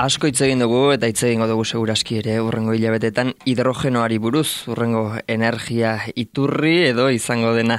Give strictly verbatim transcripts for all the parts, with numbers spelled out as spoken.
Asko hitz egin dugu eta hitz egingo dugu segurazki ere urrengo hilabetetan hidrogenoari buruz, urrengo energia iturri edo izango dena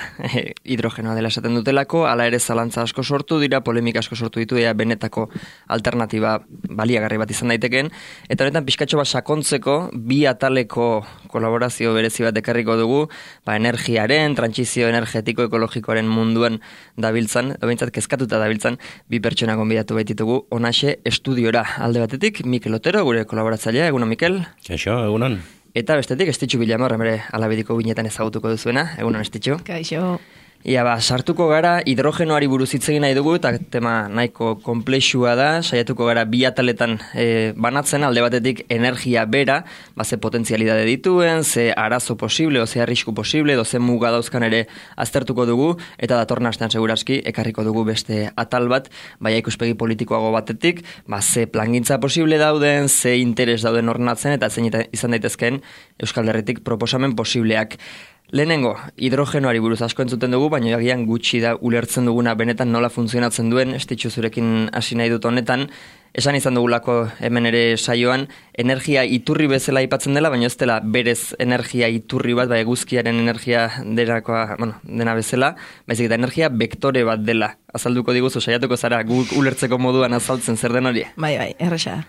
hidrogenoa dela esaten dutelako, hala ere zalantza asko sortu dira, polemika asko sortu ditu, ea benetako alternatiba baliagarri bat izan daiteken, eta honetan pixkatxo bat sakontzeko bi ataleko kolaborazio berezi bat ekarriko dugu, ba, energiaren, trantsizio energetiko ekologikoaren munduan dabiltzan, edo behintzat kezkatuta dabiltzan, bi pertsona gonbidatu baititugu, onaxe estudiora alde batetik, Mikel Otero, gure kolaboratzailea, egunon Mikel. Kaixo, egunon. Eta bestetik, Estitxu Bilamor, bere alabediko binetan ezagutuko duzuena, egunon Estitxu. Kaixo. Ia ba, sartuko gara, hidrogenoari buruz hitz egin nahi dugu, eta tema nahiko konplexua da, saiatuko gara bi ataletan e, banatzen, alde batetik energia bera, ba, ze potentzialidade dituen, ze arazo posible, o ze arrisku posible, edo ze muga dauzkan ere aztertuko dugu, eta datorren astean segurazki, ekarriko dugu beste atal bat, baina ikuspegi politikoago batetik, ba, ze plangintza posible dauden, ze interes dauden ornatzen, eta zein izan daitezkeen Euskal Herritik proposamen posibleak. Lehenengo, hidrogenoari buruz asko entzuten dugu, baina agian gutxi da ulertzen duguna benetan nola funtzionatzen duen, Estitxu zurekin hasi nahi dut honetan, esan izan dugulako hemen ere saioan, energia iturri bezala aipatzen dela, baina ez dela berez energia iturri bat, bai eguzkiaren energia derakoa, bueno, dena bezala, baizik eta energia vektore bat dela. Azalduko diguzu, saiatuko zara, guk ulertzeko moduan azaltzen zer den hori? Bai, bai, erresa.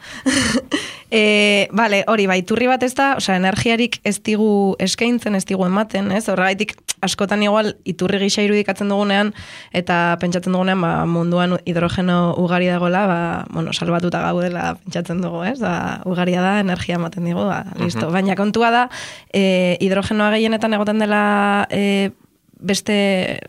e, vale, hori, bai, iturri bat ez da, osea, energiarik ez digu eskaintzen, ez digu ematen, ez? Horregaitik, askotan igual, iturri gisa irudikatzen dugunean, eta pentsatzen dugunean, ba, munduan hidrogeno ugari dagoela, ba, bueno, salbatuta gaudela pentsatzen dugu, ez? Ba, ugaria da, energia ematen digu, ba, listo. Uh-huh. Baina kontua da, e, hidrogenoa gehienetan egoten dela e, beste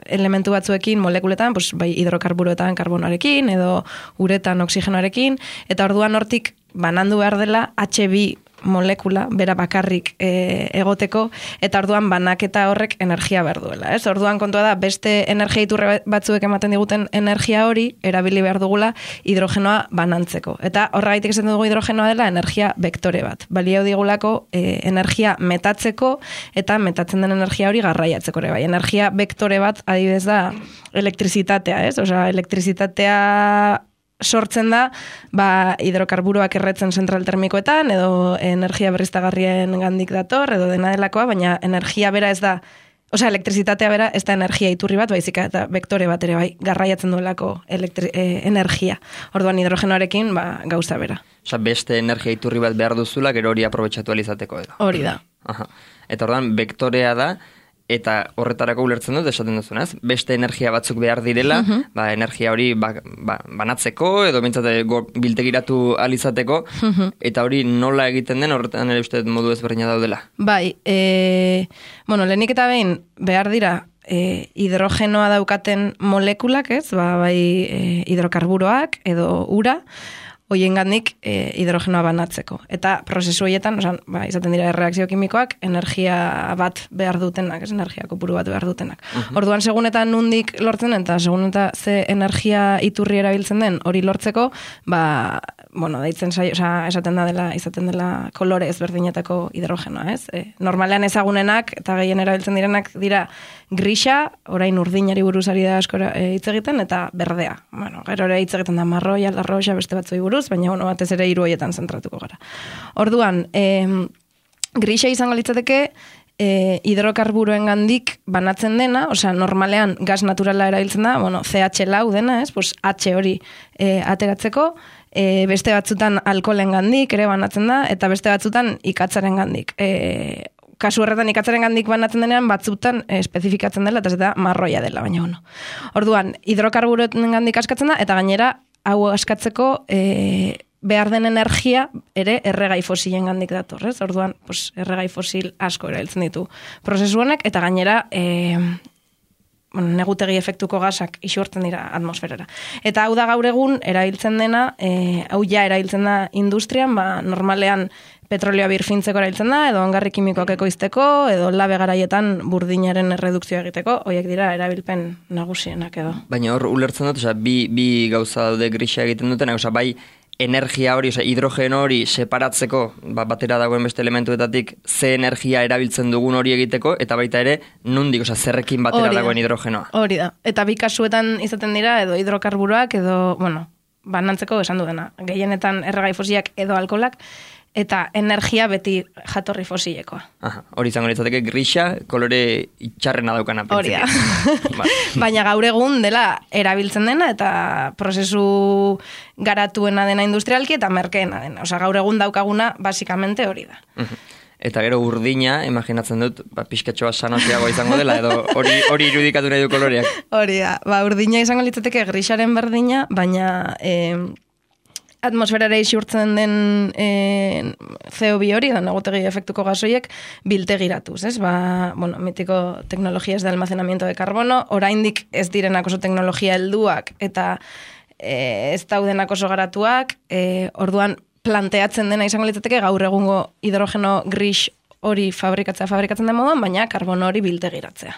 elementu batzuekin, molekuletan, pues, bai hidrokarburoetan karbonoarekin, edo uretan oxigenoarekin, eta orduan hortik banandu behar dela H bi molekula, bera bakarrik e, egoteko, eta orduan banaketa horrek energia behar duela. Ez? Orduan kontua da, beste energia iturre batzuek ematen diguten energia hori, erabili behar dugula hidrogenoa banantzeko. Eta horregaitik esan dugu hidrogenoa dela energia vektore bat. Balio digulako e, energia metatzeko, eta metatzen den energia hori garraiatzeko ere bai. Energia vektore bat adibidez da elektrizitatea, ez? Osea, elektrizitatea sortzen da, ba, hidrokarburoak erretzen zentral termikoetan, edo energia berriztagarrien gandik dator, edo dena delakoa, baina energia bera ez da, osea, elektrizitatea bera ez da energia iturri bat, baizik eta vektore bat ere bai, garraiatzen duelako elektri, e, energia. Orduan hidrogenoarekin, ba, gauza bera. Osea, beste energia iturri bat behar duzula, gero hori aprobetxatu alizateko edo. Hori da. Aha. Eta orduan, vektorea da, eta horretarako ulertzen dut, esaten duzunaz, beste energia batzuk behar direla, uh-huh. ba, energia hori ba, ba, banatzeko, edo bintzate biltegiratu alizateko, uh-huh. eta hori nola egiten den, horretan ere uste modu ezberdina daudela. Bai, e, bueno, lehenik eta behin behar dira, e, hidrogenoa daukaten molekulak, ez, ba, bai e, hidrokarburoak, edo ura, hoien gandik e, hidrogenoa banatzeko. Eta prozesu horietan, osan, ba, izaten dira erreakzio kimikoak, energia bat behar dutenak, ez energia kopuru bat behar dutenak. Uh-huh. Orduan, segun eta nundik lortzen den, eta segun eta ze energia iturri erabiltzen den hori lortzeko, ba, bueno, daitzen saio, osa, esaten da dela, izaten dela kolore ezberdinetako hidrogenoa, ez? E, normalean ezagunenak, eta gehien erabiltzen direnak dira grisa, orain urdinari buruzari da asko e, hitz egiten, eta berdea. Bueno, gero ere hitz egiten da marroia, larroxa, beste batzui buruz, baina bueno, batez ere hiru hoietan zentratuko gara. Orduan, eh, grisa izango litzateke eh, hidrokarburoen gandik banatzen dena, osea, normalean gas naturala erabiltzen da, bueno, C H lau dena, ez? Pues H hori eh, ateratzeko, eh, beste batzutan alkoholen gandik ere banatzen da, eta beste batzutan ikatzaren gandik. Eh, kasu horretan ikatzaren gandik banatzen denean, batzutan eh, espezifikatzen dela, eta ez da marroia dela, baina ono. Orduan, hidrokarburoen gandik askatzen da, eta gainera, hau askatzeko e, behar den energia ere erregai fosilen gandik dator, ez? Orduan, pues, erregai fosil asko erabiltzen ditu prozesu honek, eta gainera e, bueno, negutegi efektuko gasak isurtzen dira atmosferara. Eta hau da gaur egun erabiltzen dena, e, hau ja erabiltzen da industrian, ba, normalean petrolioa birfintzeko erabiltzen da, edo ongarri kimikoak ekoizteko, edo labe garaietan burdinaren erredukzioa egiteko, horiek dira erabilpen nagusienak edo. Baina hor ulertzen dut, osea, bi, bi gauza daude grisa egiten duten, osea, bai energia hori, osea, hidrogeno hori separatzeko, ba, batera dagoen beste elementuetatik, ze energia erabiltzen dugun hori egiteko, eta baita ere, nundik, osea, zerrekin batera dagoen hidrogenoa. Hori da. Eta bi kasuetan izaten dira, edo hidrokarburoak, edo, bueno, banantzeko esan dudena. Gehienetan erregai fosilak edo alkoholak, eta energia beti jatorri fosilekoa. Aha, hori izango litzateke grisa, kolore itxarrena daukana. Hori da. Baina gaur egun dela erabiltzen dena eta prozesu garatuena dena industrialki eta merkeena dena. Osa, gaur egun daukaguna, basikamente hori da. Eta gero urdina, imaginatzen dut, ba, pixkatxoa sanotiagoa izango dela, edo hori hori irudikatu nahi du koloreak. Hori da, ba, urdina izango litzateke grisaren berdina, baina eh, atmosferara isurtzen den e, C O bi hori, da negotegi efektuko gasoiek, biltegiratuz, ez? Ba, bueno, mitiko teknologias de almacenamiento de carbono, oraindik ez direnak oso teknologia helduak eta e, ez daudenak oso garatuak, e, orduan planteatzen dena izango litzateke gaur egungo hidrogeno gris hori fabrikatzea fabrikatzen den moduan, baina karbono hori biltegiratzea.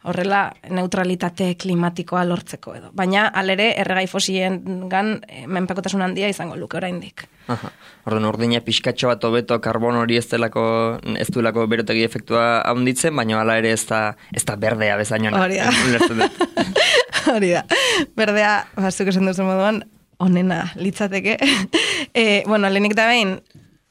Horrela, neutralitate klimatikoa lortzeko edo. Baina, alere, erregai fosilen gan, menpekotasun handia izango luke oraindik. Aha. Orduan, urdina pixkatxo bat hobeto karbono hori ez delako, ez duelako berotegi efektua handitzen, baina hala ere ez da, ez da berdea bezainona. Hori da. Hori da. Berdea, bazuk esan duzu moduan, onena litzateke. e, bueno, lehenik da behin,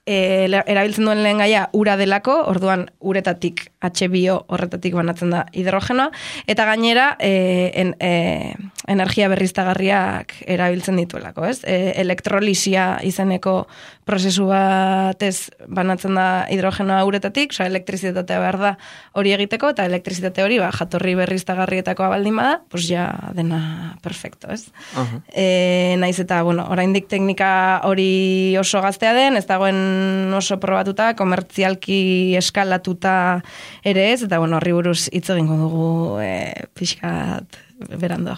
E, erabiltzen duen lehen gaia ura delako, orduan uretatik H bi O horretatik banatzen da hidrogenoa, eta gainera e, en, e, energia berriztagarriak erabiltzen dituelako, ez? E, elektrolisia izeneko prozesu batez banatzen da hidrogenoa uretatik, oza, elektrizitatea behar da hori egiteko, eta elektrizitate hori ba, jatorri berriztagarrietakoa baldin bada, pues ja dena perfecto, ez? Uh-huh. E, naiz eta, bueno, oraindik teknika hori oso gaztea den, ez dagoen oso probatuta, komertzialki eskalatuta ere ez, eta bueno, horri buruz hitz egingo dugu e, pixkat berando.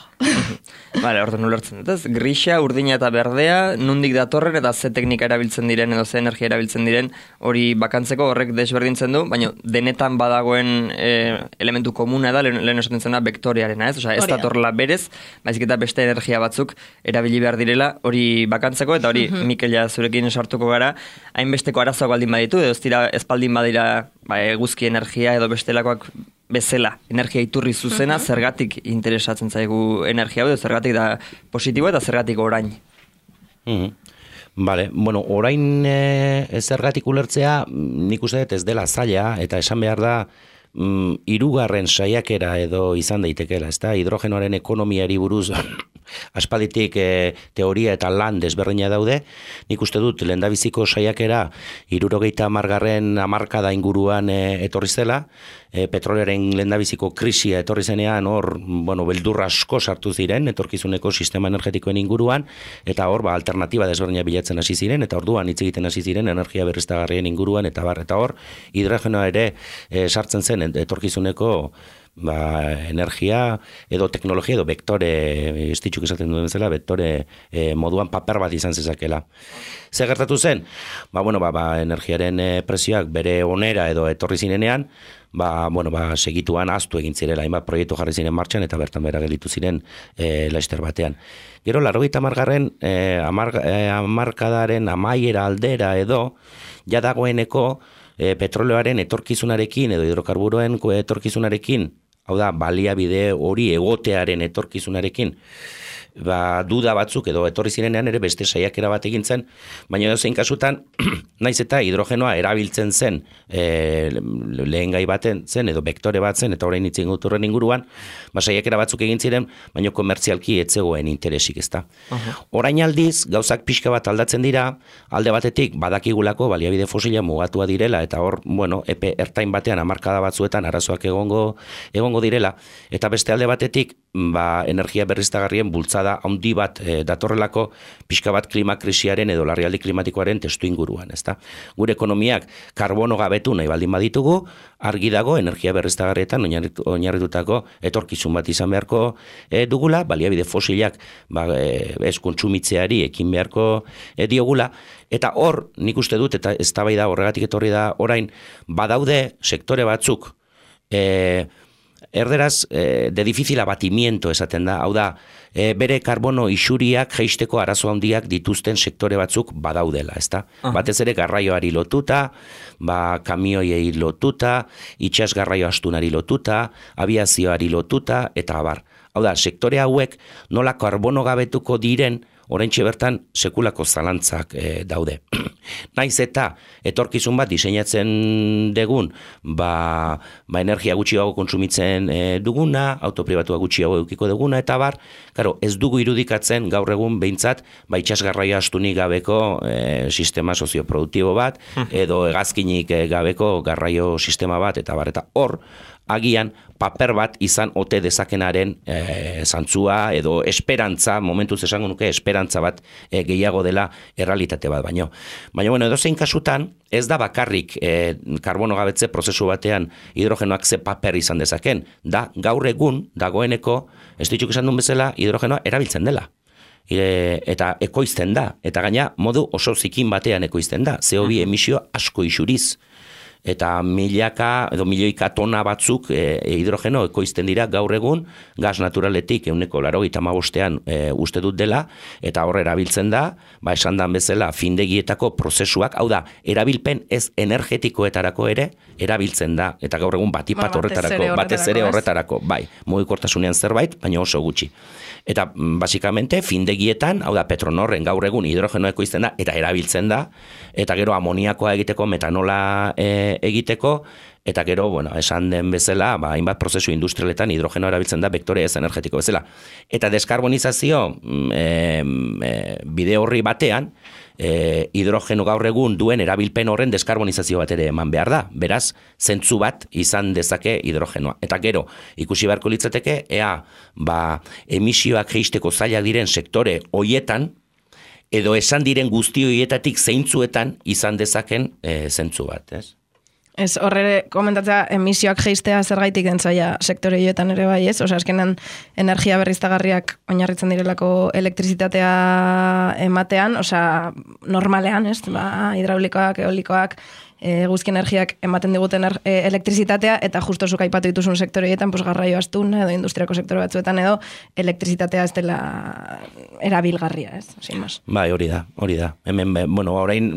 Vale, orduan ulertzen dut, ez? Grisa, urdina eta berdea, nundik datorren eta ze teknika erabiltzen diren edo ze energia erabiltzen diren, hori bakantzeko horrek desberdintzen du, baina denetan badagoen e, elementu komuna da, lehen, lehen esaten zena, vektorearena, ez? Osea, ez datorla berez, baizik eta beste energia batzuk erabili behar direla, hori bakantzeko, eta hori, uh-huh. Mikela zurekin sartuko gara, hainbesteko arazoak baldin baditu, edo ez dira ez baldin badira ba, eguzki energia edo bestelakoak bezala, energia iturri zuzena, uh-huh. Zergatik interesatzen zaigu energia hau, zergatik da positibo eta zergatik orain. Uh-huh. Vale, bueno, orain e, zergatik ulertzea, nik uste dut ez dela zaila, eta esan behar da, mm, hirugarren saiakera edo izan daitekeela, ezta? Hidrogenoaren ekonomiari buruz aspalditik e, teoria eta lan desberdina daude. Nik uste dut lehendabiziko saiakera hirurogeita hamargarren hamarkada inguruan e, etorri zela, e, petrolearen lehendabiziko krisia etorri zenean hor, bueno, beldurra asko sartu ziren etorkizuneko sistema energetikoen inguruan, eta hor ba alternatiba desberdina bilatzen hasi ziren, eta orduan hitz egiten hasi ziren energia berriztagarrien inguruan, eta bar, eta hor hidrogenoa ere e, sartzen zen etorkizuneko ba, energia edo teknologia edo vektore, estitxuk esaten duen bezala, vektore e, moduan paper bat izan zezakela. Zer gertatu zen? Ba, bueno, ba, ba, energiaren e, prezioak bere onera edo etorri zinenean, ba, bueno, ba, segituan aztu egin zirela, hainbat proiektu jarri ziren martxan, eta bertan bera gelditu ziren e, laster batean. Gero, larrogeita hamargarren e, amar, e, amarkadaren amaiera aldera edo, ja dagoeneko e, petroleoaren etorkizunarekin edo hidrokarburoen etorkizunarekin, hau da, baliabide hori egotearen etorkizunarekin, ba, duda batzuk edo etorri zirenean ere beste saiakera bat egin zen, baina edo zein kasutan, naiz eta hidrogenoa erabiltzen zen e, lehen gai baten zen edo vektore bat zen, eta orain itzen guturren inguruan, ba, saiakera batzuk egin ziren, baina komertzialki etzegoen interesik, ezta. Uh-huh. Orain aldiz, gauzak pixka bat aldatzen dira, alde batetik badakigulako baliabide fosila mugatua direla, eta hor, bueno, epe ertain batean hamarkada batzuetan arazoak egongo, egongo direla, eta beste alde batetik, ba, energia berriztagarrien bultzada handi bat e, datorrelako pixka bat klima krisiaren edo larrialdi klimatikoaren testu inguruan, ezta? Gure ekonomiak karbono gabetu nahi baldin baditugu, argi dago energia berriztagarrietan oinarritutako etorkizun bat izan beharko e, dugula, baliabide fosilak ba, e, ez kontsumitzeari ekin beharko e, diogula, eta hor, nik uste dut, eta eztabaida horregatik etorri da orain, badaude sektore batzuk, e, erderaz, eh, de difícil abatimiento esaten da, hau da, eh, bere karbono isuriak jeisteko arazo handiak dituzten sektore batzuk badaudela, ezta? Uh-huh. Batez ere garraioari lotuta, ba, kamioiei lotuta, itxas garraio astunari lotuta, abiazioari lotuta, eta abar. Hau da, sektore hauek nola karbono gabetuko diren oraintxe bertan sekulako zalantzak e, daude. Naiz eta etorkizun bat diseinatzen degun, ba, ba energia gutxiago kontsumitzen e, duguna, autopribatua gutxiago edukiko duguna, eta bar, karo, ez dugu irudikatzen gaur egun behintzat, ba itxasgarraia astunik gabeko e, sistema sozioproduktibo bat, edo hegazkinik e, gabeko garraio sistema bat, eta bar, eta hor, agian paper bat izan ote dezakenaren e, zantzua edo esperantza, momentuz esango nuke esperantza bat e, gehiago dela errealitate bat baino. Baina, bueno, edozein kasutan, ez da bakarrik e, karbono gabetze prozesu batean hidrogenoak ze paper izan dezaken, da gaur egun dagoeneko, ez ditxuk esan duen bezala, hidrogenoa erabiltzen dela. E, eta ekoizten da, eta gaina modu oso zikin batean ekoizten da, C O bi emisio asko isuriz. Eta milaka edo milioika tona batzuk e, hidrogeno ekoizten dira gaur egun gas naturaletik ehuneko laurogeita hamabostean e, uste dut dela, eta hor erabiltzen da, ba esan dan bezala findegietako prozesuak, hau da, erabilpen ez energetikoetarako ere erabiltzen da, eta gaur egun batipat ba, horretarako, batez ere horretarako, bai, mugikortasunean zerbait, baina oso gutxi. Eta basikamente findegietan, hau da, Petronorren gaur egun hidrogeno ekoizten da, eta erabiltzen da, eta gero amoniakoa egiteko, metanola e, egiteko, eta gero, bueno, esan den bezala, ba, hainbat prozesu industrialetan hidrogeno erabiltzen da vektore ez energetiko bezala. Eta deskarbonizazio e, e, bide horri batean, e, hidrogeno gaur egun duen erabilpen horren deskarbonizazio bat ere eman behar da. Beraz, zentzu bat izan dezake hidrogenoa. Eta gero, ikusi beharko litzateke, ea, ba, emisioak jeisteko zailak diren sektore hoietan, edo esan diren guzti horietatik zeintzuetan izan dezaken e, zentzu bat, ez? Ez, horre komentatzea emisioak jeistea zergaitik dentzaia sektore hietan ere bai, ez? Osa, eskenan energia berriztagarriak oinarritzen direlako elektrizitatea ematean, osa, normalean, ez? Ba, hidraulikoak, eolikoak, e, guzki energiak ematen diguten er, e, elektrizitatea, eta justo zuk aipatu dituzun sektore hietan, pues, garraio astun, edo industriako sektore batzuetan, edo elektrizitatea ez dela erabilgarria, ez? Sin más. Bai, hori da, hori da. Hemen, bueno, orain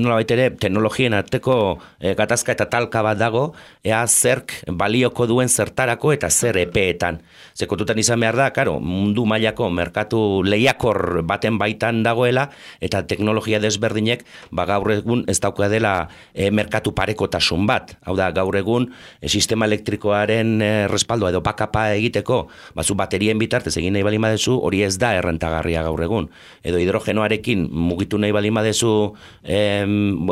nola baitere, teknologien arteko e, gatazka eta talka bat dago, ea zerk balioko duen zertarako eta zer epeetan. Zekotutan izan behar da, karo, mundu mailako merkatu lehiakor baten baitan dagoela, eta teknologia desberdinek, ba gaur egun ez dauka dela e, merkatu parekotasun bat. Hau da, gaur egun e, sistema elektrikoaren e, respaldoa edo bakapa egiteko, bazu baterien bitartez egin nahi balin badezu, hori ez da errentagarria gaur egun. Edo hidrogenoarekin mugitu nahi balin badezu e,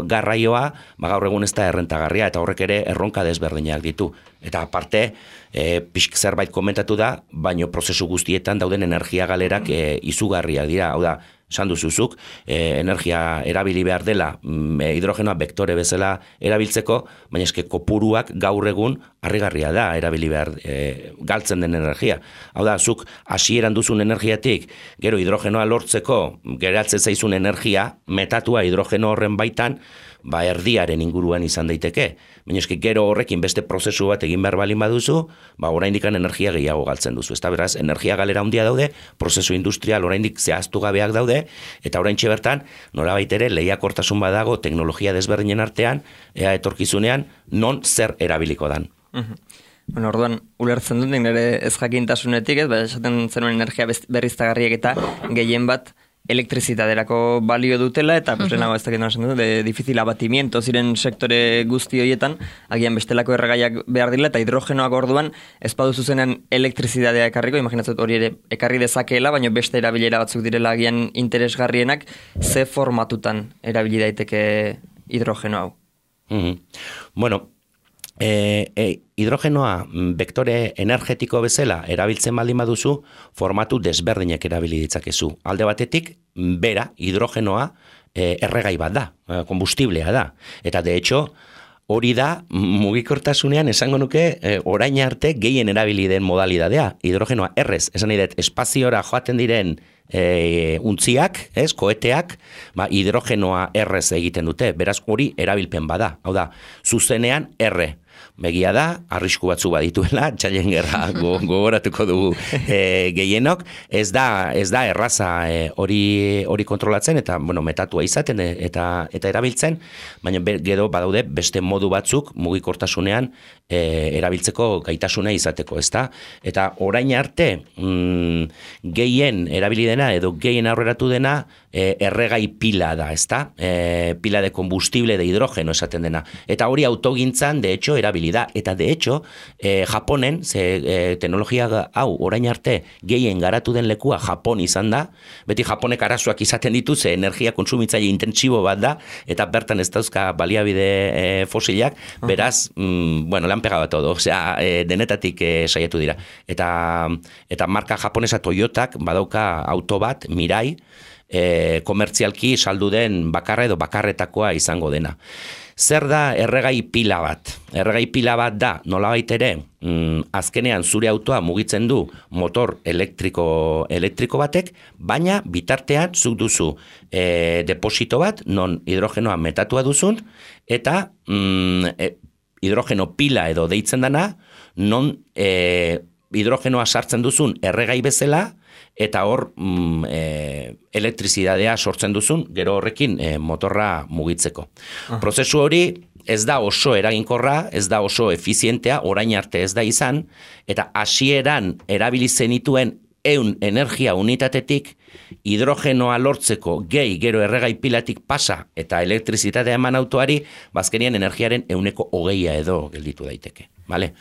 garraioa, ba gaur egun ez da errentagarria, eta horrek ere erronka desberdinak ditu. Eta aparte, e, pixk zerbait komentatu da, baino prozesu guztietan dauden energia galerak e, izugarriak dira. Hau da, esan duzuzuk, e, energia erabili behar dela, e, hidrogenoa vektore bezala erabiltzeko, baina eske kopuruak gaur egun harrigarria da erabili behar e, galtzen den energia. Hau da, zuk hasieran duzun energiatik, gero hidrogenoa lortzeko, geratzen zaizun energia, metatua hidrogeno horren baitan, ba erdiaren inguruan izan daiteke. Baina eske gero horrekin beste prozesu bat egin behar balin baduzu, ba oraindik energia gehiago galtzen duzu. Ezta beraz, energia galera handia daude, prozesu industrial oraindik zehaztu gabeak daude, eta oraintxe bertan nolabait ere lehiakortasun badago teknologia desberdinen artean, ea etorkizunean non zer erabiliko dan. Mhm. Bueno, orduan, ulertzen dut nire ez jakintasunetik, ez, ba, esaten zenuen energia berriztagarriak eta gehien bat elektrizitaterako balio dutela, eta pues, lehenago ez dakit nasen dut, de difícil abatimiento ziren sektore guzti horietan, agian bestelako erregaiak behar dira, eta hidrogenoak orduan, ez baduzu zenen elektrizitatea ekarriko, imaginatzen hori ere ekarri dezakeela, baina beste erabilera batzuk direla agian interesgarrienak, ze formatutan erabili daiteke hidrogeno hau? Mm-hmm. Bueno, E, e, hidrogenoa vektore energetiko bezala erabiltzen baldin baduzu, formatu desberdinak erabili ditzakezu. Alde batetik, bera, hidrogenoa e, erregai bat da, kombustiblea da. Eta de hecho, hori da mugikortasunean esango nuke e, orain arte gehien erabili den modalidadea. Hidrogenoa errez, esan nahi dut, espaziora joaten diren E, untziak, ez, koeteak, ba, hidrogenoa errez egiten dute, beraz hori erabilpen bada, hau da, zuzenean erre. Begia da, arrisku batzu badituela, txailen gerra gogoratuko dugu e, gehienok, ez da, ez da erraza e, hori, hori kontrolatzen, eta bueno, metatua izaten e, eta, eta erabiltzen, baina be, gero badaude beste modu batzuk mugikortasunean e, erabiltzeko gaitasuna izateko, ezta? Eta orain arte mm, gehien erabili dena edo gehien aurreratu dena e, erregai pila da, ezta? E, pila de combustible de hidrógeno esaten dena. Eta hori autogintzan, de hecho, erabili da. Eta de hecho, e, Japonen, ze e, teknologia hau orain arte gehien garatu den lekua Japon izan da, beti Japonek arazoak izaten ditu, ze energia kontsumitzaile intentsibo bat da, eta bertan ez dauzka baliabide e, fosilak, beraz, mm, bueno, lan pegaba todo, osea, e, denetatik e, saiatu dira. Eta, eta marka japonesa Toyotak badauka auto bat, Mirai, e, komertzialki saldu den bakarra edo bakarretakoa izango dena. Zer da erregai pila bat? Erregai pila bat da, nolabait ere, mm, azkenean zure autoa mugitzen du motor elektriko, elektriko batek, baina bitartean zuk duzu e, deposito bat, non hidrogenoa metatua duzun, eta mm, e, hidrogeno pila edo deitzen dana, non e, hidrogenoa sartzen duzun erregai bezala, eta hor mm, e, elektrizidadea sortzen duzun, gero horrekin e, motorra mugitzeko. Ah. Prozesu hori ez da oso eraginkorra, ez da oso efizientea, orain arte ez da izan, eta hasieran erabili zenituen ehun energia unitatetik hidrogenoa lortzeko gehi gero erregai pilatik pasa eta elektrizitatea eman autoari, bazkenian energiaren ehuneko hogeia edo gelditu daiteke. Vale?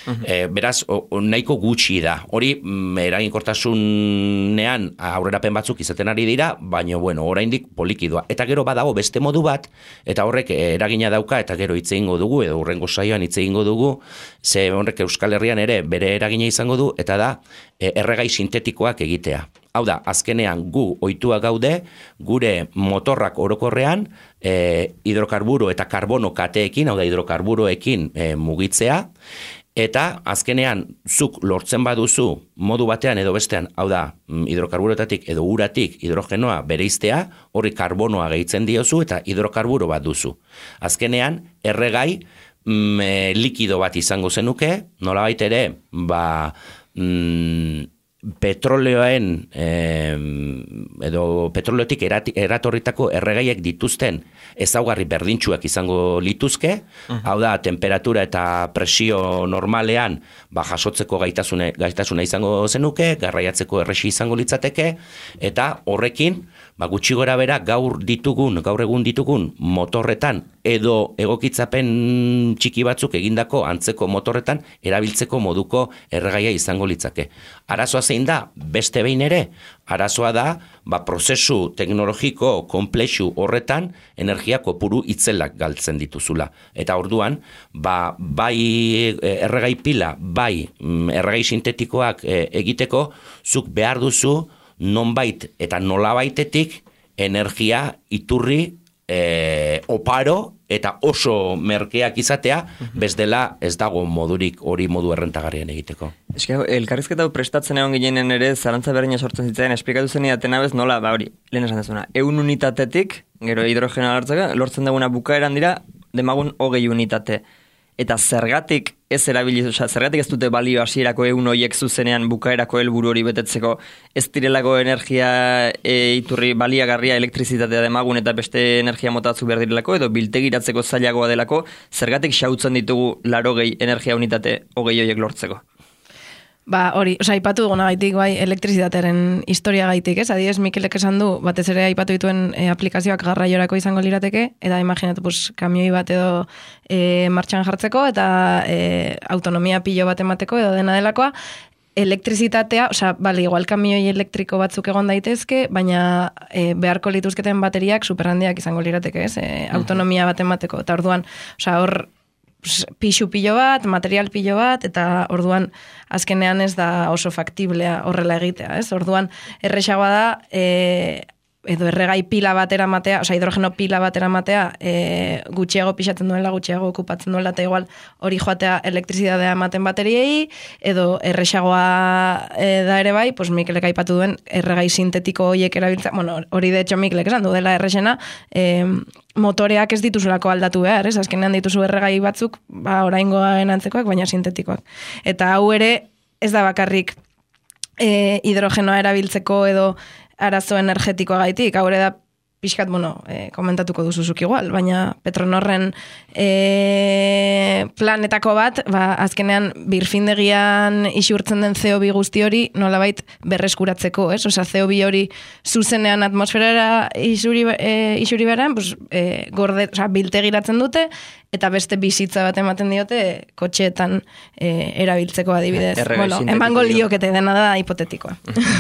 Uh-huh. E, beraz, o, o, nahiko gutxi da. Hori, mm, eraginkortasunean aurrerapen batzuk izaten ari dira, baina, bueno, oraindik polikidoa. Eta gero badago beste modu bat, eta horrek eragina dauka, eta gero hitz egingo dugu, edo hurrengo saioan hitz egingo dugu, ze horrek Euskal Herrian ere bere eragina izango du, eta da, e, erregai sintetikoak egitea. Hau da, azkenean gu ohitua gaude, gure motorrak orokorrean, e, hidrokarburo eta karbono kateekin, hau da, hidrokarburoekin e, mugitzea, eta azkenean zuk lortzen baduzu modu batean edo bestean, hau da, hidrokarburoetatik edo uratik hidrogenoa bereiztea, horri karbonoa gehitzen diozu eta hidrokarburo bat duzu. Azkenean, erregai mm, e, likido bat izango zenuke, nolabait ere, ba... Mm, petroleoen eh, edo petroleotik eratorritako erregaiek dituzten ezaugarri berdintsuak izango lituzke, uh-huh. Hau da, temperatura eta presio normalean ba, jasotzeko gaitasune, gaitasuna izango zenuke, garraiatzeko erresi izango litzateke, eta horrekin ba, gutxi gora bera gaur ditugun, gaur egun ditugun motorretan edo egokitzapen txiki batzuk egindako antzeko motorretan erabiltzeko moduko erregaia izango litzake. Arazoa zein da, beste behin ere, arazoa da, ba, prozesu teknologiko komplexu horretan energia kopuru itzelak galtzen dituzula. Eta orduan, ba, bai erregai pila, bai erregai sintetikoak egiteko, zuk behar duzu nonbait eta nolabaitetik energia iturri e, oparo eta oso merkeak izatea, bestela ez dago modurik hori modu errentagarrian egiteko. Eske, elkarrizketa prestatzen egon ginen ere, zarantza berdina sortzen zitzen, esplikatu zen idatena bez, nola, ba hori, lehen esan dezuna, ehun unitatetik, gero hidrogenoa lortzeka, lortzen duguna bukaeran dira, demagun hogei unitate. Eta zergatik ez erabili, oza, zergatik ez dute balio hasierako ehun horiek zuzenean bukaerako helburu hori betetzeko, ez direlako energia e, iturri baliagarria elektrizitatea demagun eta beste energia motatzu behar direlako, edo biltegiratzeko zailagoa delako, zergatik xautzen ditugu larogei energia unitate hogei horiek lortzeko? Ba, hori, oza, aipatu duguna gaitik, bai, elektrizitatearen historia gaitik, ez? Adibidez, Mikelek esan du, batez ere aipatu dituen e, aplikazioak garraiorako izango lirateke, eta imaginatu, pues, kamioi bat edo e, martxan jartzeko, eta e, autonomia pilo bat emateko, edo dena delakoa, elektrizitatea, oza, bale, igual kamioi elektriko batzuk egon daitezke, baina e, beharko lituzketen bateriak superhandiak izango lirateke, ez? E, autonomia bat emateko, eta orduan, oza, hor, pixu pilo bat, material pilo bat, eta orduan azkenean ez da oso faktiblea horrela egitea, ez? Orduan erresagoa da, e, edo erregai pila bat eramatea, oza, hidrogeno pila bat eramatea, e, gutxiago pixatzen duela, gutxiago okupatzen duela, eta igual hori joatea elektrizidadea ematen bateriei, edo erresagoa e, da ere bai, pues Mikelek aipatu duen erregai sintetiko horiek erabiltza, bueno, hori de hecho Mikelek esan du dela erresena, e, motoreak ez dituzulako aldatu behar, ez? Azkenean dituzu erregai batzuk, ba, oraingoen antzekoak, baina sintetikoak. Eta hau ere, ez da bakarrik e, hidrogenoa erabiltzeko edo arazo energetikoa gaitik, hau ere da pixkat, bueno, e, komentatuko duzuzuk igual, baina Petronorren e, e, planetako bat, ba, azkenean birfindegian isurtzen den C O bi guzti hori nolabait berreskuratzeko, ez? Osea, C O bi hori zuzenean atmosferara isuri, e, isuri beran, pues, e, gorde, osea, biltegiratzen dute, eta beste bizitza bat ematen diote kotxeetan e, erabiltzeko adibidez. Erregai bueno, emango liokete dena da hipotetikoa.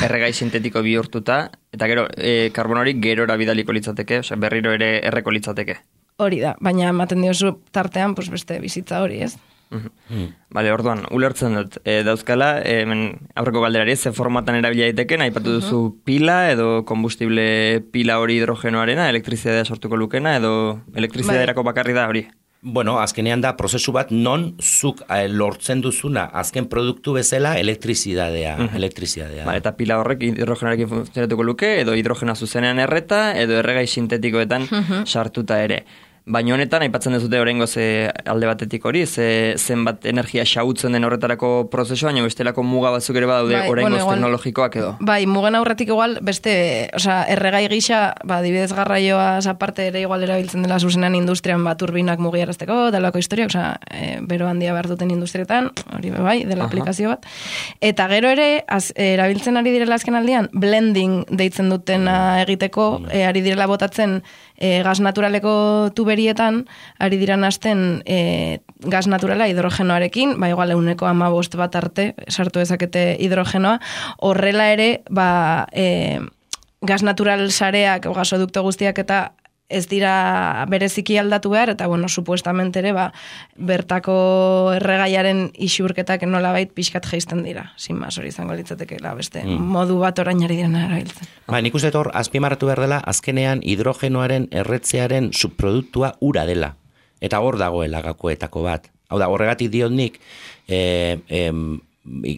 Erregai sintetiko bihurtuta, eta gero, e, karbon hori gerora bidaliko litzateke, osea, berriro ere erreko litzateke. Hori da, baina ematen diozu tartean pues beste bizitza hori, ez? Mm. Bale, orduan, ulertzen dut, e, dauzkala, e, hemen aurreko galderari, ze formatan erabila daiteken, aipatu duzu uh -huh. pila, edo kombustible pila hori hidrogenoarena, elektrizidadea sortuko lukena, edo elektrizidaderako bakarri da hori? Bueno, azkenean da prozesu bat non zuk eh, lortzen duzuna azken produktu bezala elektrizidadea, uh -huh. elektrizidadea. Ba, eta pila horrek hidrogenoarekin funtzionatuko luke, edo hidrogena zuzenean erreta, edo erregai sintetikoetan uh -huh. sartuta ere. Baina honetan, aipatzen dezute oraingo ze alde batetik hori, ze zenbat energia xahutzen den horretarako prozesua, baina bestelako muga batzuk ere badaude bai, oraingoz bueno, teknologikoak edo. Bai, mugen aurretik igual, beste, osea, erregai gisa, ba, dibidez garraioaz aparte ere igual erabiltzen dela zuzenean industrian bat turbinak mugiarazteko, delako historia, osea, e, bero handia behar duten industrietan, hori bai, dela Aha. aplikazio bat. Eta gero ere, az, e, erabiltzen ari direla azken aldian, blending deitzen dutena egiteko, e, ari direla botatzen e, gas naturaleko tuberietan, ari dira nasten e, gas naturala hidrogenoarekin, ba igual euneko hamabost bat arte sartu dezakete hidrogenoa, horrela ere, ba, e, gas natural sareak, o gasodukto guztiak eta ez dira bereziki aldatu behar, eta bueno, supuestamente ere, ba, bertako erregaiaren isurketak nolabait pixkat jeisten dira. Sin mas, hori izango litzatekeela beste mm. modu bat orain ari direna erabiltzen. Ba, nik uste hor, azpimarratu behar dela, azkenean hidrogenoaren erretzearen subproduktua ura dela. Eta hor dagoela gakoetako bat. Hau da, horregatik diot nik, e, e,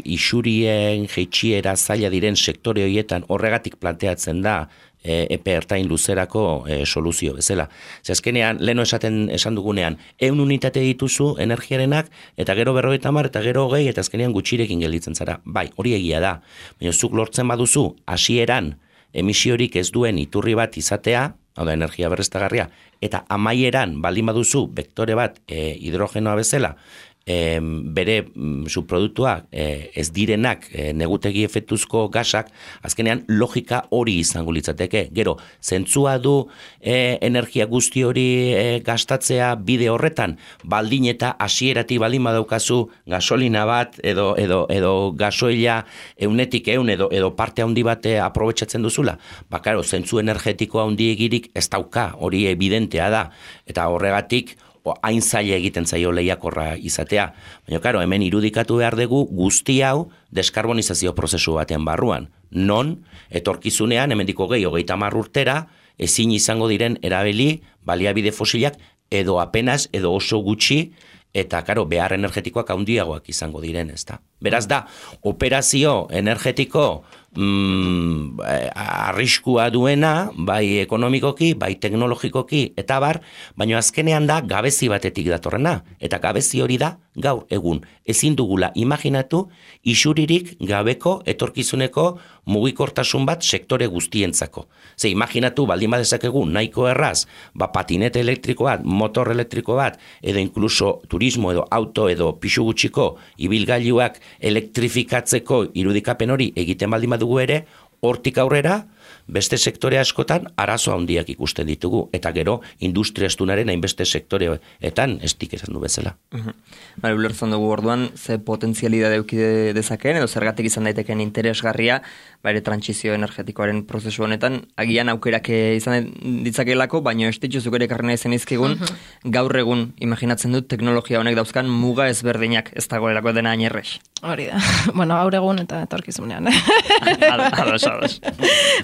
isurien, jeitxiera, zaila diren sektore horietan horregatik planteatzen da E, epe ertain luzerako e, soluzio bezala. Ze azkenean, leno esaten esan dugunean, ehun unitate dituzu energiarenak, eta gero berrogeita hamar, eta gero hogei, eta azkenean gutxirekin gelditzen zara. Bai, hori egia da. Baina zuk lortzen baduzu, hasieran emisiorik ez duen iturri bat izatea, hau da, energia berreztagarria, eta amaieran baldin baduzu, vektore bat e, hidrogenoa bezala, E, bere mm, subproduktuak e, ez direnak e, negutegi efektuzko gasak, azkenean logika hori izango litzateke. Gero, zentzua du e, energia guzti hori e, gastatzea bide horretan, baldin eta hasieratik baldin badaukazu gasolina bat edo edo edo gasoila eunetik eun edo edo parte handi bat aprobetxatzen duzula. Ba, claro, zentzu energetiko handiegirik ez dauka, hori evidentea da. Eta horregatik hain zaila egiten zaio lehiakorra izatea. Baina, karo, hemen irudikatu behar dugu guzti hau deskarbonizazio prozesu batean barruan. Non, etorkizunean, hemendiko gehi, hogeita hamar urtera, ezin izango diren erabili baliabide fosilak edo apenas, edo oso gutxi, eta, karo, behar energetikoak handiagoak izango diren, ez da. Beraz da, operazio energetiko mm, arriskua duena, bai ekonomikoki, bai teknologikoki, eta bar, baina azkenean da gabezi batetik datorrena. Eta gabezi hori da gaur egun. Ezin dugula imaginatu isuririk gabeko etorkizuneko mugikortasun bat sektore guztientzako. Ze imaginatu baldin badezakegu nahiko erraz, ba patinete elektriko bat, motor elektriko bat, edo inkluso turismo edo auto edo pixu gutxiko ibilgailuak elektrifikatzeko irudikapen hori egiten baldin badugu ere, hortik aurrera, beste sektore askotan arazo handiak ikusten ditugu, eta gero industria estunaren hainbeste sektoreetan estik esan du bezala. Uh-huh. Bale, ulertzen dugu orduan, ze potentzialidade eduki dezakeen, edo zergatik izan daiteken interesgarria, bere trantsizio energetikoaren prozesu honetan, agian aukerak izan ditzakelako, baina ez dituzuk ere karrena izan izkigun, uh-huh. gaur egun, imaginatzen dut, teknologia honek dauzkan muga ezberdinak ez dagoelako dena ainerrez. Hori da. Bueno, gaur egun eta etorkizunean. Ados, ados.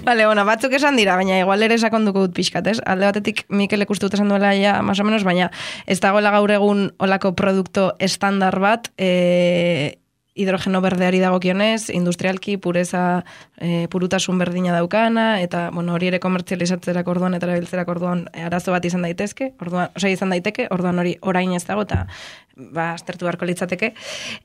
Vale, bueno, batzuk esan dira, baina igual ere sakonduko dut pixkat, ez? Alde batetik Mikel ikustu esan duela ja, más o menos, baina ez dagoela gaur egun olako produkto estandar bat, e, hidrogeno berdeari dagokionez, industrialki pureza, e, purutasun berdina daukana, eta bueno, hori ere komertzializatzerak orduan eta erabiltzerak orduan arazo bat izan daitezke, orduan, osea izan daiteke, orduan hori orain ez dago, eta ba, aztertu beharko litzateke.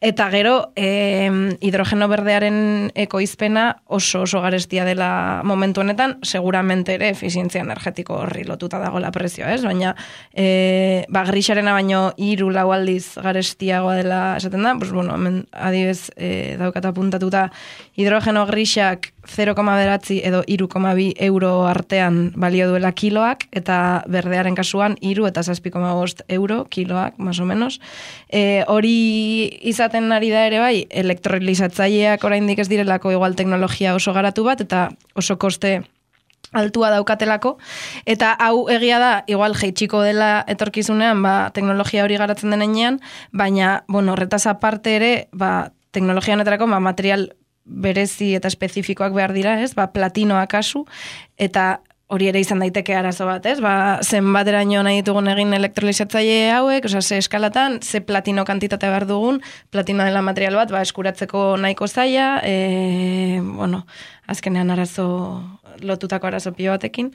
Eta gero, e, hidrogeno berdearen ekoizpena oso oso garestia dela momentu honetan, seguramente ere efizientzia energetiko horri lotuta dagoela prezioa, ez? Baina, e, ba, grisarena baino hiru lau aldiz garestiagoa dela esaten da, pues, bueno, hemen adibez e, daukata puntatuta hidrogeno grisak zero koma bederatzi edo hiru koma bi euro artean balio duela kiloak, eta berdearen kasuan hiru eta zazpi koma bost euro kiloak, más o menos. E, hori izaten ari da ere bai, elektrolizatzaileak oraindik ez direlako igual teknologia oso garatu bat, eta oso koste altua daukatelako, eta hau egia da, igual jeitxiko dela etorkizunean, ba, teknologia hori garatzen denean, baina, bueno, horretaz aparte ere, ba, teknologia honetarako, ba, material berezi eta espezifikoak behar dira, ez? Ba, platinoa kasu, eta hori ere izan daiteke arazo bat, ez? Ba, zenbateraino nahi ditugun egin elektrolizatzaile hauek, osea, ze eskalatan, ze platino kantitate behar dugun, platino dela material bat, ba, eskuratzeko nahiko zaila, e, bueno, azkenean arazo lotutako arazo pilo batekin.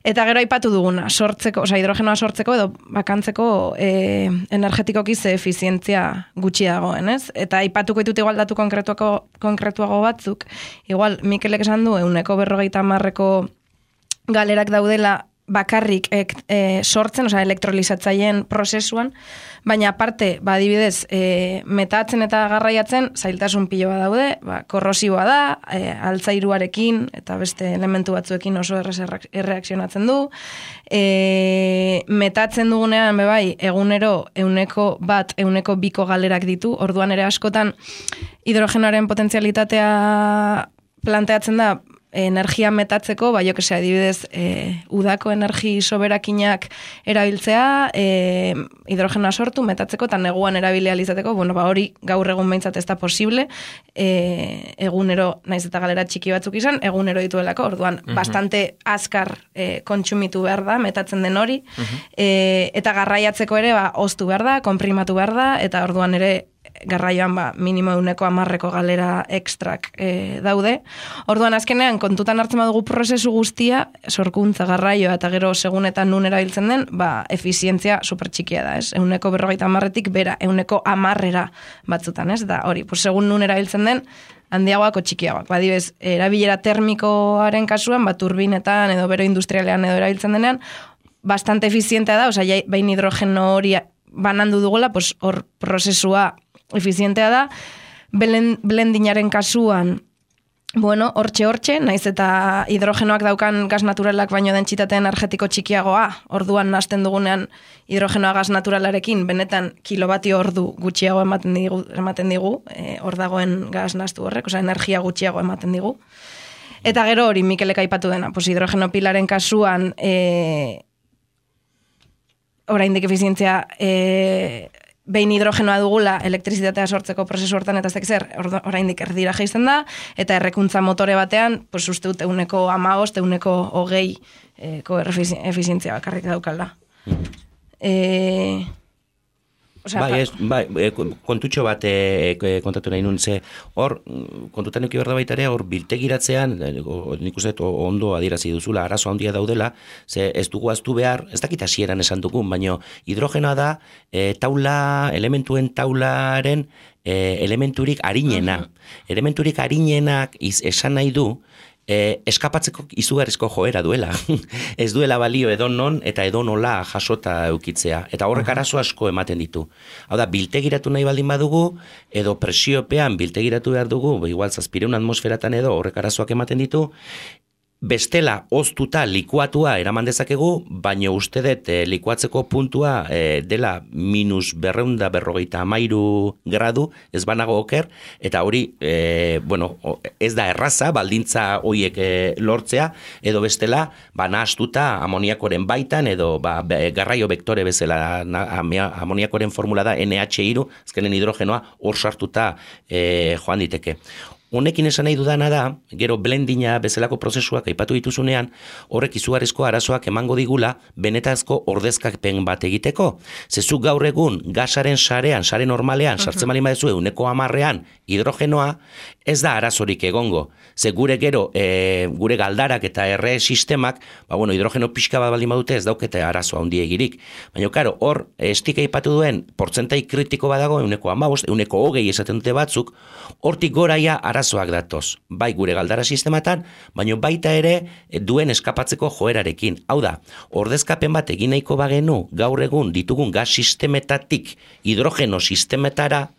Eta gero aipatu duguna, sortzeko, osea, hidrogenoa sortzeko edo bakantzeko e, energetikoki ze efizientzia gutxi dagoen, ez? Eta aipatuko ditut igual datu konkretuako, konkretuago batzuk, igual Mikelek esan du, euneko berrogeita hamarreko galerak daudela bakarrik e, e, sortzen, osea, elektrolizatzaileen prozesuan, baina aparte, ba, adibidez, e, metatzen eta garraiatzen, zailtasun pilo bat daude, ba, korrosiboa da, e, altzairuarekin eta beste elementu batzuekin oso errez erreakzionatzen du, e, metatzen dugunean, bebai, egunero, euneko bat, euneko biko galerak ditu, orduan ere askotan, hidrogenoaren potentzialitatea planteatzen da, energia metatzeko, ba, jo que sea, adibidez, e, udako energi soberakinak erabiltzea, e, hidrogenoa sortu, metatzeko, eta neguan erabilia izateko, bueno, ba, hori gaur egun behintzat ez da posible, e, egunero, naiz eta galera txiki batzuk izan, egunero dituelako, orduan, uh-huh. bastante azkar e, kontsumitu behar da, metatzen den hori, uh-huh. e, eta garraiatzeko ere, ba, oztu behar da, konprimatu behar da, eta orduan ere, garraioan ba, minimo euneko amarreko galera ekstrak e, daude. Orduan azkenean, kontutan hartzen badugu prozesu guztia, sorkuntza, garraioa eta gero segunetan nun erabiltzen den, ba, efizientzia supertxikia da, ez? Euneko berrogeita amarretik bera, euneko amarrera batzutan, ez? Da, hori, pues, segun nun erabiltzen den, handiagoako txikiagoak. Ba, dibez, erabilera termikoaren kasuan, ba, turbinetan edo bero industrialean edo erabiltzen denean, bastante efizientea da, osea, bain hidrogeno hori banandu dugula, pues, hor prozesua efizientea da, blendinaren kasuan, bueno, hortxe hortxe, naiz eta hidrogenoak daukan gas naturalak baino dentsitate energetiko txikiagoa, orduan nahasten dugunean hidrogenoa gas naturalarekin, benetan kilobatio ordu gutxiago ematen digu, ematen digu e, hor dagoen gas nahastu horrek, osea, energia gutxiago ematen digu. Eta gero hori Mikelek aipatu dena, pues hidrogeno pilaren kasuan, e, oraindik efizientzia e, behin hidrogenoa dugula elektrizitatea sortzeko prozesu hortan eta ez zer, oraindik erdira jaisten da, eta errekuntza motore batean, pues uste dut euneko hamabost, euneko hogei eko efizientzia bakarrik daukala. E, Osea, bai, ez, bai, kontutxo bat e, kontatu nahi nun, ze hor, kontutan eki berda baita ere, hor biltegiratzean, nik uste ondo adierazi duzula, arazo handia daudela, ze ez dugu aztu behar, ez dakit hasieran esan dugun, baino hidrogenoa da, e, taula, elementuen taularen e, elementurik arinena. Uh-huh. Elementurik arinenak iz, esan nahi du, E, eskapatzeko izugarrizko joera duela. Ez duela balio edonon eta edonola jasota eukitzea. Eta horrek arazo asko ematen ditu. Hau da, biltegiratu nahi baldin badugu, edo presiopean biltegiratu behar dugu, igual zazpireun atmosferatan edo horrek arazoak ematen ditu, bestela oztuta likuatua eraman dezakegu, baina uste dut e, likuatzeko puntua e, dela minus berreunda berrogeita amairu gradu, ez banago oker, eta hori, e, bueno, ez da erraza, baldintza horiek e, lortzea, edo bestela, ba, nahastuta amoniakoren baitan, edo ba, garraio vektore bezala, na, amoniakoren formula da N H hiru, azkenen hidrogenoa hor sartuta e, joan diteke. honekin esan nahi dudana da, gero blendina bezalako prozesuak aipatu dituzunean, horrek izugarrizko arazoak emango digula benetazko ordezkapen bat egiteko. Zezuk gaur egun gasaren sarean, sare normalean, sartzen bali madezu euneko hamarrean hidrogenoa, ez da arazorik egongo. Ze gure gero, e, gure galdarak eta erre sistemak, ba, bueno, hidrogeno pixka bat baldin badute ez daukete arazo handiegirik. Baina, karo, hor, estik aipatu duen, portzentai kritiko badago, euneko hamabost, euneko hogei esaten dute batzuk, hortik goraia arazoak datoz. Bai gure galdara sistematan, baina baita ere duen eskapatzeko joerarekin. Hau da, ordezkapen bat egin nahiko bagenu, gaur egun ditugun gas sistemetatik hidrogeno sistemetara,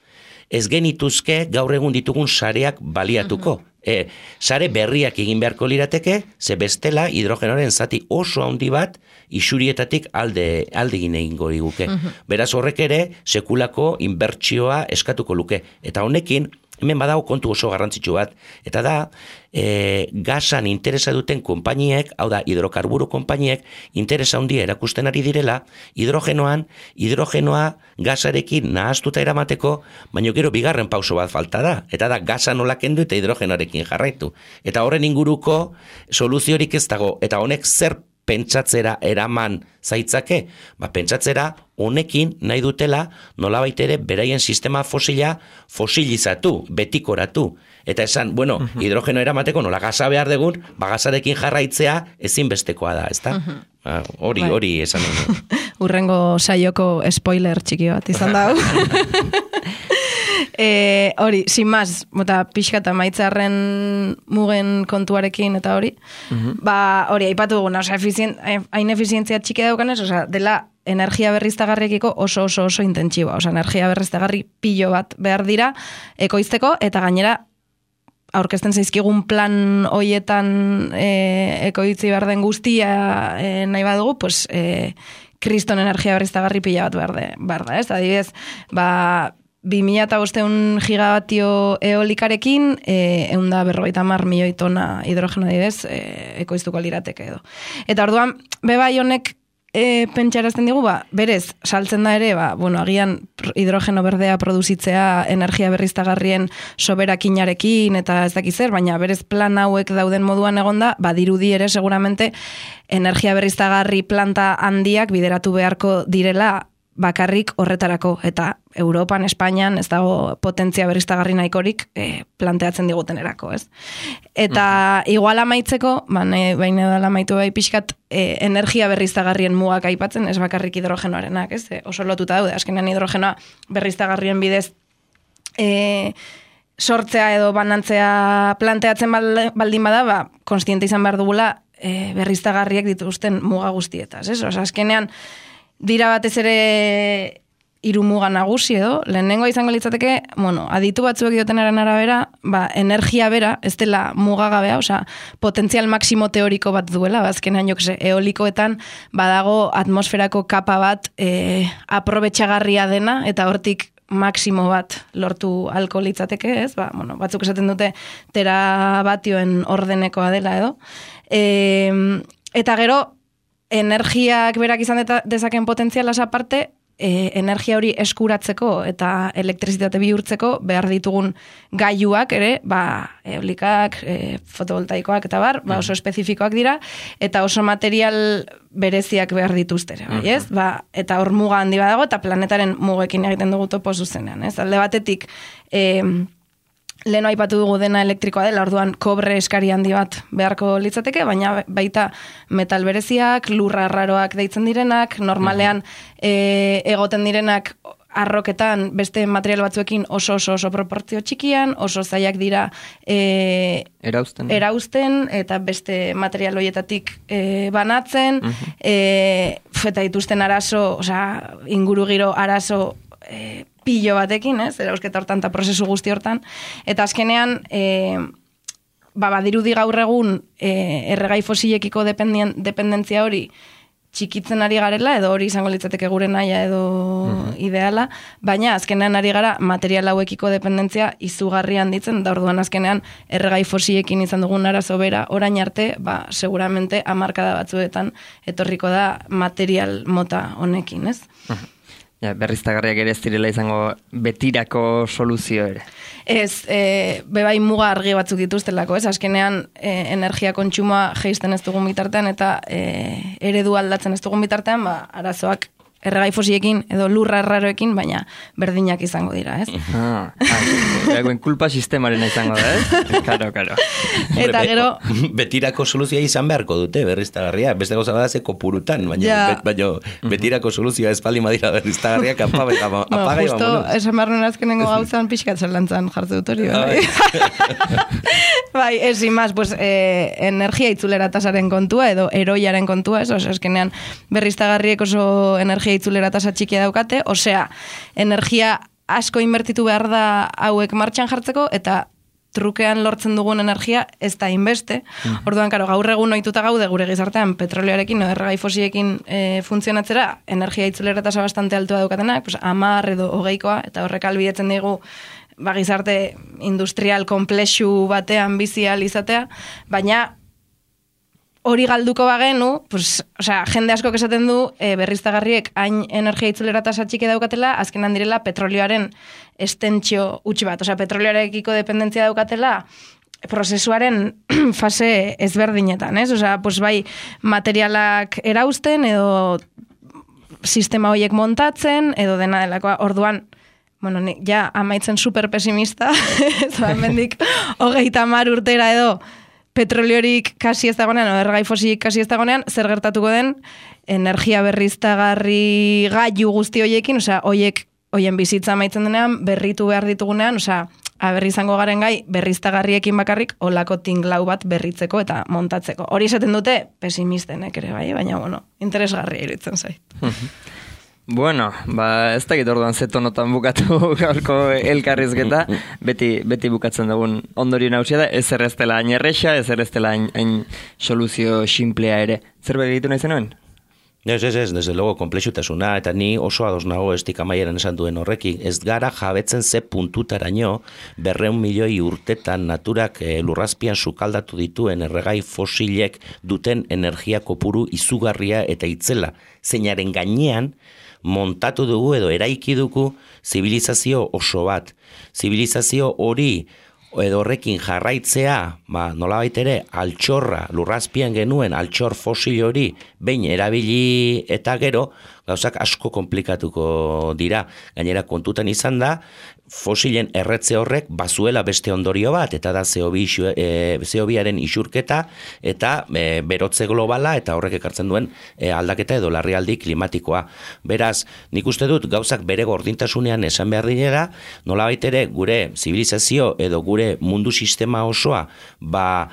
ez genituzke gaur egun ditugun sareak baliatuko. E, sare berriak egin beharko lirateke, ze bestela hidrogenoaren zati oso handi bat isurietatik alde, alde egin egingo liguke. Beraz horrek ere sekulako inbertsioa eskatuko luke. Eta honekin, hemen badago kontu oso garrantzitsu bat, eta da, e, gasan interesa duten konpainiek, hau da, hidrokarburo konpainiek, interesa handia erakusten ari direla, hidrogenoan, hidrogenoa gasarekin nahaztuta eramateko, baina gero bigarren pauso bat falta da, eta da, gasa nola kendu eta hidrogenoarekin jarraitu. Eta horren inguruko soluziorik ez dago, eta honek zer pentsatzera eraman zaitzake, ba, pentsatzera honekin nahi dutela nolabait ere beraien sistema fosila fosilizatu, betikoratu. Eta esan, bueno, uh-huh. hidrogeno eramateko nola gasa behar degun, ba, gasarekin jarraitzea ezinbestekoa da, ezta? Uh-huh. Ba, hori, hori esan dugu. Urrengo saioko spoiler txiki bat izan dago. E, hori, sin más, bota pixka eta maitzarren mugen kontuarekin eta hori, uh-huh. ba, hori, aipatu duguna, oza, efizien, hain efizientzia txiki daukanez, oza, dela energia berriztagarriekiko oso oso oso intentsiboa, oza, energia berriztagarri pilo bat behar dira ekoizteko, eta gainera aurkezten zaizkigun plan hoietan e, ekoitzi behar den guztia e, nahi badugu, pues, e, kriston energia berriztagarri pila bat behar, de, behar da, ez? Adibidez, ba, bi mila bosteun gigabatio eolikarekin, e, egun da berrogeita hamar milioi tona hidrogeno adibidez, e, ekoiztuko lirateke edo. Eta orduan, bebai honek e, pentsarazten digu, ba, berez, saltzen da ere, ba, bueno, agian hidrogeno berdea produzitzea energia berriztagarrien soberakinarekin eta ez dakiz zer, baina berez plan hauek dauden moduan egonda, ba, dirudi ere seguramente energia berriztagarri planta handiak bideratu beharko direla bakarrik horretarako, eta Europan, Espainian, ez dago potentzia berriztagarri nahikorik e, planteatzen digutenerako, ez? Eta uh-huh. igual amaitzeko, baina baina da amaitu bai pixkat, e, energia berriztagarrien mugak aipatzen, ez bakarrik hidrogenoarenak, ez? E, oso lotuta daude, azkenean hidrogenoa berriztagarrien bidez e, sortzea edo banantzea planteatzen baldin bada, ba, konstiente izan behar dugula e, berriztagarriek dituzten muga guztietaz, ez? Osa, azkenean, dira batez ere hiru muga nagusi edo, lehenengo izango litzateke, bueno, aditu batzuek diotenaren arabera, ba, energia bera, ez dela mugagabea, osea, potentzial maksimo teoriko bat duela, bazkenean jokse, eolikoetan badago atmosferako kapa bat e, aprobetxagarria dena, eta hortik maksimo bat lortu alko litzateke, ez? Ba, bueno, batzuk esaten dute terabatioen ordenekoa dela edo. E, eta gero, energiak berak izan dezaken potentzialaz aparte, e, energia hori eskuratzeko eta elektrizitate bihurtzeko behar ditugun gailuak ere, ba, eolikak, e, fotovoltaikoak eta bar, ba, oso espezifikoak dira, eta oso material bereziak behar dituztere, bai, ez? Ba, eta hor muga handi badago, eta planetaren mugekin egiten dugu topo zuzenean, ez? Alde batetik, e, leheno aipatu dugu dena elektrikoa dela, orduan kobre eskari handi bat beharko litzateke, baina baita metal bereziak, lurra raroak deitzen direnak, normalean e, egoten direnak arroketan beste material batzuekin oso oso oso proportzio txikian, oso zaiak dira e, erausten. erausten, eta beste material horietatik e, banatzen, uh-huh. e, eta dituzten arazo, osea, ingurugiro arazo e, pillo batekin, ez, erausketa hortan eta prozesu guzti hortan, eta azkenean, e, ba, badirudi gaur egun e, erregai fosilekiko dependentzia hori txikitzen ari garela, edo hori izango litzateke gure naia edo uh-huh. ideala, baina azkenean ari gara material hauekiko dependentzia izugarri handitzen, da orduan azkenean erregai fosilekin izan dugun arazo bera, orain arte, ba, seguramente hamarkada batzuetan etorriko da material mota honekin, ez? Uh-huh. Ja, berriztagarriak ere ez direla izango betirako soluzio ere. Ez, e, bebai muga argi batzuk dituztelako, ez? Azkenean e, energia kontsumoa jeisten ez dugun bitartean eta e, eredu aldatzen ez dugun bitartean, ba, arazoak erregai fosilekin edo lurra erraroekin, baina berdinak izango dira, ez? Ah, ah, kulpa sistemaren izango da, ez? Karo, karo. Eta gero... Betirako soluzioa izan beharko dute berriztagarria, beste gauza bada ze kopurutan, baina, ja. bet, baina betirako soluzioa ez bali madira berriztagarriak apaga eta bueno, apaga justo, esan behar nuen azkenengo gauzan pixkatzen lantzan jartze dut hori, bai? Bai, ez, imaz, pues, eh, energia itzulera tasaren kontua edo eroiaren kontua, ez? Oso, eskenean berriztagarriek oso energia itzulera tasa txikia daukate, osea, energia asko inbertitu behar da hauek martxan jartzeko, eta trukean lortzen dugun energia ez da inbeste. Mm. Orduan, karo, gaur egun ohituta gaude gure gizartean petrolioarekin, no, erregai fosiekin e, funtzionatzera, energia itzulera tasa bastante altua daukatenak, pues, amar edo hogeikoa, eta horrek albidetzen digu ba, gizarte industrial komplexu batean bizi ahal izatea, baina hori galduko bagenu, pues, osea, jende asko esaten du e, berriztagarriek hain energia itzulera tasa txiki daukatela, azkenan direla petrolioaren estentzio utzi bat. Osea, petrolioarekiko dependentzia daukatela prozesuaren fase ezberdinetan, ez? Osea, pues, bai materialak erausten edo sistema horiek montatzen edo dena delakoa. Orduan, bueno, ni, ja amaitzen super pesimista, ez da, hemendik hogeita hamar urtera edo petroliorik kasi ez dagoenean, o erregai fosilik kasi ez dagoenean, zer gertatuko den energia berriztagarri gailu guzti hoiekin, osea, hoiek, hoien bizitza amaitzen denean, berritu behar ditugunean, osea, berri izango garen gai, berriztagarriekin bakarrik, olako tinglau bat berritzeko eta montatzeko. Hori esaten dute, pesimistenek ere bai, baina, bueno, interesgarria iruditzen zait. Bueno, ba, ez dakit orduan zetonotan bukatu gaurko elkarrizketa, beti, beti bukatzen dugun ondorio nausia da, ez erreztela hain erresa, ez erreztela hain, hain soluzio simplea ere. Zerbait egitu nahi zenuen? Ez, ez, ez, desde logo komplexutasuna, eta ni oso ados nago estik amaieran esan duen horrekin, ez gara jabetzen ze puntutaraino berreun milioi urtetan naturak e, lurrazpian sukaldatu dituen erregai fosilek duten energia kopuru izugarria eta itzela, zeinaren gainean montatu dugu edo eraiki dugu zibilizazio oso bat. Zibilizazio hori edo horrekin jarraitzea, ba, nolabait ere, altxorra, lurrazpian genuen altxor fosil hori behin erabili eta gero, gauzak asko komplikatuko dira. Gainera kontutan izan da, fosilen erretze horrek bazuela beste ondorio bat, eta da C O biaren isurketa eta e, berotze globala eta horrek ekartzen duen e, aldaketa edo larrialdi klimatikoa. Beraz, nik uste dut gauzak bere gordintasunean esan behar dinera, nolabait ere gure zibilizazio edo gure mundu sistema osoa, ba,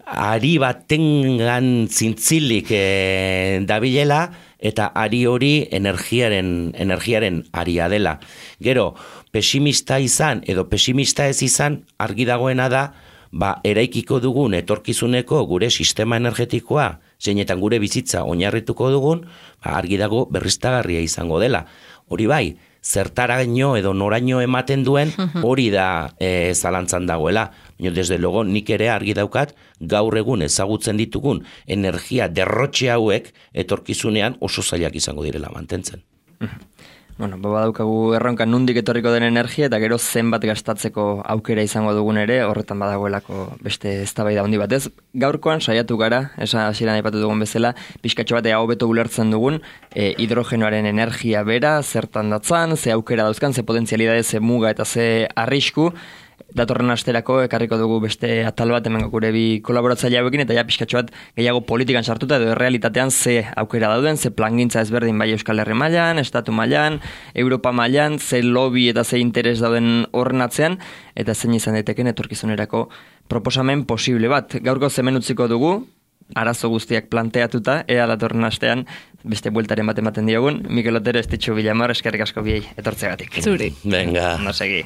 ari batengan zintzilik e, dabilela, eta ari hori energiaren, energiaren aria dela. Gero, pesimista izan edo pesimista ez izan, argi dagoena da, ba, eraikiko dugun etorkizuneko gure sistema energetikoa, zeinetan gure bizitza oinarrituko dugun, ba, argi dago berriztagarria izango dela. Hori bai, zertaraino edo noraino ematen duen hori da e, zalantzan dagoela. Desde logo nik ere argi daukat gaur egun ezagutzen ditugun energia derrotxe hauek etorkizunean oso zailak izango direla mantentzen. Bueno, baba daukagu erronka nundik etorriko den energia eta gero zenbat gastatzeko aukera izango dugun ere, horretan badagoelako beste eztabaida handi batez. Gaurkoan saiatu gara, esa hasieran aipatu dugun bezala, pixkatxo bat ea hobeto ulertzen dugun e, hidrogenoaren energia bera, zertan datzan, ze aukera dauzkan, ze potentzialidade, ze muga eta ze arrisku. Datorren asterako ekarriko dugu beste atal bat hemen gure bi kolaboratzaile hauekin eta ja pixkatxo bat gehiago politikan sartuta edo errealitatean ze aukera dauden, ze plangintza ezberdin bai Euskal Herri mailan, Estatu mailan, Europa mailan, ze lobby eta ze interes dauden horren atzean eta zein izan daiteken etorkizunerako proposamen posible bat. Gaurko zemen utziko dugu, arazo guztiak planteatuta, ea datorren astean beste bueltaren bat ematen diogun. Mikel Otero, Estitxu Villamor, eskerrik asko biei etortzegatik. Zuri. Venga. No segi.